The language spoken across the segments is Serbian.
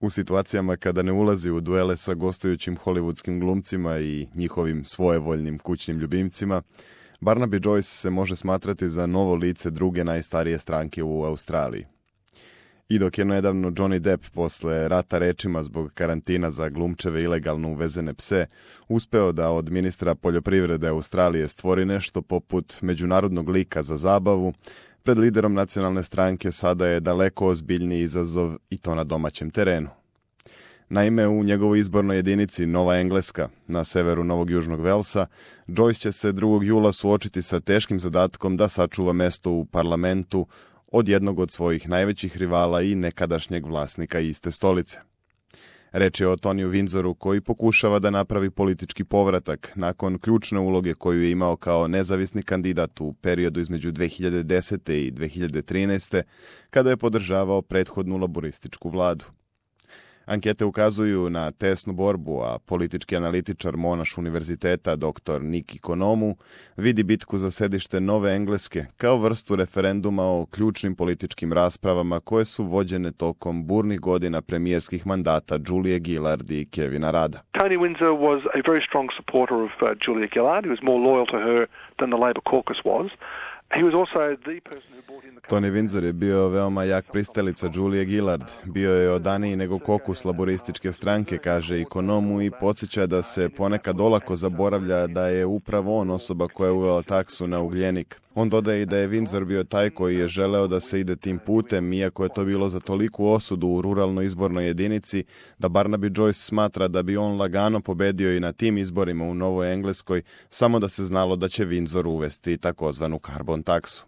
U situacijama kada ne ulazi u duele sa gostujućim hollywoodskim glumcima i njihovim svojevoljnim kućnim ljubimcima, Barnaby Joyce se može smatrati za novo lice druge najstarije stranke u Australiji. I dok je nedavno Johnny Depp posle rata rečima zbog karantina za glumčeve ilegalno uvezene pse uspeo da od ministra poljoprivrede Australije stvori nešto poput međunarodnog lika za zabavu, pred liderom nacionalne stranke sada je daleko ozbiljniji izazov i to na domaćem terenu. Naime, u njegovoj izbornoj jedinici Nova Engleska, na severu Novog Južnog Velsa, Joyce će se 2. jula suočiti sa teškim zadatkom da sačuva mesto u parlamentu od jednog od svojih najvećih rivala i nekadašnjeg vlasnika iste stolice. Reč je o Toniju Windsoru koji pokušava da napravi politički povratak nakon ključne uloge koju je imao kao nezavisni kandidat u periodu između 2010. i 2013. kada je podržavao prethodnu laborističku vladu. Ankete ukazuju na tesnu borbu, a politički analitičar Monash univerziteta dr. Nick Economou vidi bitku za sedište Nove Engleske kao vrstu referenduma o ključnim političkim raspravama koje su vođene tokom burnih godina premijerskih mandata Julie Gillard i Kevina Rudda. Tony Windsor was a very strong supporter of Julia Gillard. He was more loyal to her than the Labor caucus was. He was also the person who brought in the... Tony Windsor je bio veoma jak pristalica Julie Gillard. Bio je odaniji nego kokus laborističke stranke, kaže Economou, i podsjeća da se ponekad olako zaboravlja da je upravo on osoba koja je uvela taksu na ugljenik. On dodaje i da je Windsor bio taj koji je želeo da se ide tim putem, iako je to bilo za toliku osudu u ruralnoj izbornoj jedinici, da Barnaby Joyce smatra da bi on lagano pobedio i na tim izborima u Novoj Engleskoj, samo da se znalo da će Windsor uvesti takozvanu karbon taksu.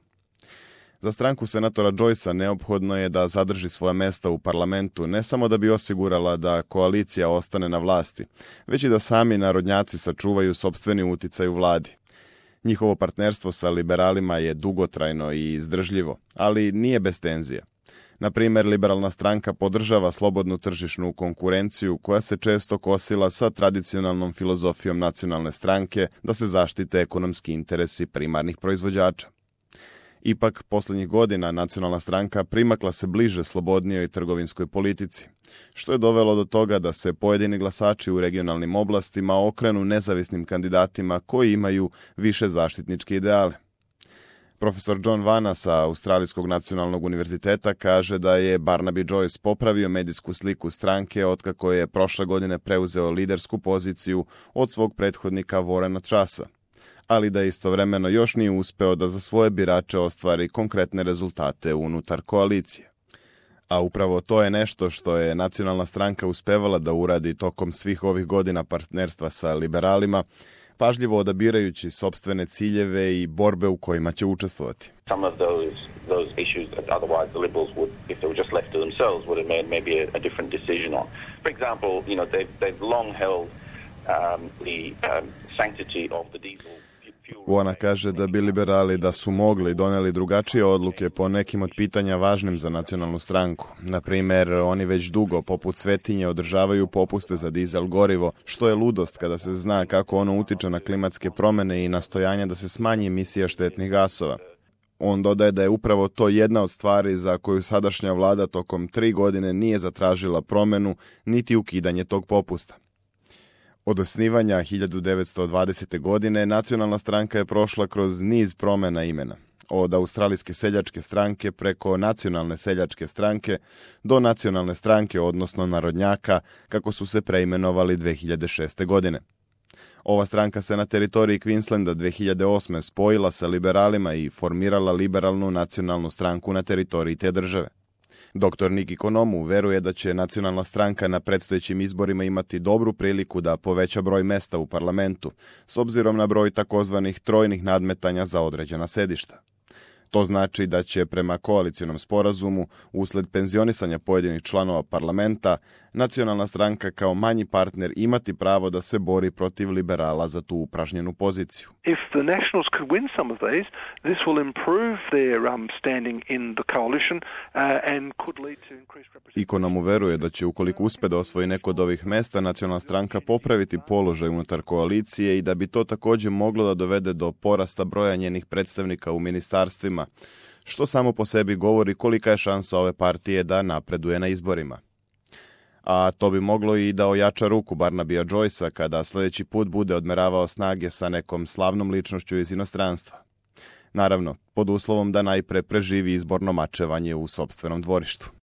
Za stranku senatora Joycea neophodno je da zadrži svoja mesta u parlamentu, ne samo da bi osigurala da koalicija ostane na vlasti, već i da sami narodnjaci sačuvaju sopstveni uticaj u vladi. Njihovo partnerstvo sa liberalima je dugotrajno i izdržljivo, ali nije bez tenzija. Na primjer, liberalna stranka podržava slobodnu tržišnu konkurenciju koja se često kosila sa tradicionalnom filozofijom nacionalne stranke da se zaštite ekonomski interesi primarnih proizvođača. Ipak, posljednjih godina nacionalna stranka primakla se bliže slobodnijoj trgovinskoj politici, što je dovelo do toga da se pojedini glasači u regionalnim oblastima okrenu nezavisnim kandidatima koji imaju više zaštitničke ideale. Profesor John Vanna sa Australijskog nacionalnog univerziteta kaže da je Barnaby Joyce popravio medijsku sliku stranke otkako je prošle godine preuzeo lidersku poziciju od svog prethodnika Warrena Trussa, ali da istovremeno još nije uspeo da za svoje birače ostvari konkretne rezultate unutar koalicije. A upravo to je nešto što je nacionalna stranka uspevala da uradi tokom svih ovih godina partnerstva sa liberalima, pažljivo odabirajući sopstvene ciljeve i borbe u kojima će učestvovati. Some of those issues that otherwise the Liberals would, if they were just left to themselves, would have made maybe a different decision on. For example, they've long held the sanctity of the diesel. Ona kaže da bi liberali da su mogli doneli drugačije odluke po nekim od pitanja važnim za nacionalnu stranku. Na primjer, oni već dugo, poput svetinje, održavaju popuste za dizel gorivo, što je ludost kada se zna kako ono utiče na klimatske promjene i nastojanja da se smanji emisija štetnih gasova. On dodaje da je upravo to jedna od stvari za koju sadašnja vlada tokom 3 godine nije zatražila promjenu niti ukidanje tog popusta. Od osnivanja 1920. godine nacionalna stranka je prošla kroz niz promjena imena. Od Australijske seljačke stranke preko Nacionalne seljačke stranke do Nacionalne stranke, odnosno Narodnjaka, kako su se preimenovali 2006. godine. Ova stranka se na teritoriji Queenslanda 2008. spojila sa liberalima i formirala liberalnu nacionalnu stranku na teritoriji te države. Dr. Nick Economou veruje da će nacionalna stranka na predstojećim izborima imati dobru priliku da poveća broj mesta u parlamentu, s obzirom na broj takozvanih trojnih nadmetanja za određena sedišta. To znači da će prema koalicionom sporazumu, usled penzionisanja pojedinih članova parlamenta, nacionalna stranka kao manji partner imati pravo da se bori protiv liberala za tu upražnjenu poziciju. If the Nationals could win some of these, this will improve their standing in the coalition and could lead to increased representation. Economou veruje da će, ukoliko uspe da osvoji neko od ovih mesta, nacionalna stranka popraviti položaj unutar koalicije i da bi to također moglo da dovede do porasta broja njenih predstavnika u ministarstvima, što samo po sebi govori kolika je šansa ove partije da napreduje na izborima. a to bi moglo i da ojača ruku Barnabya Joycea kada sljedeći put bude odmeravao snage sa nekom slavnom ličnošću iz inostranstva. Naravno, pod uslovom da najpre preživi izborno mačevanje u sopstvenom dvorištu.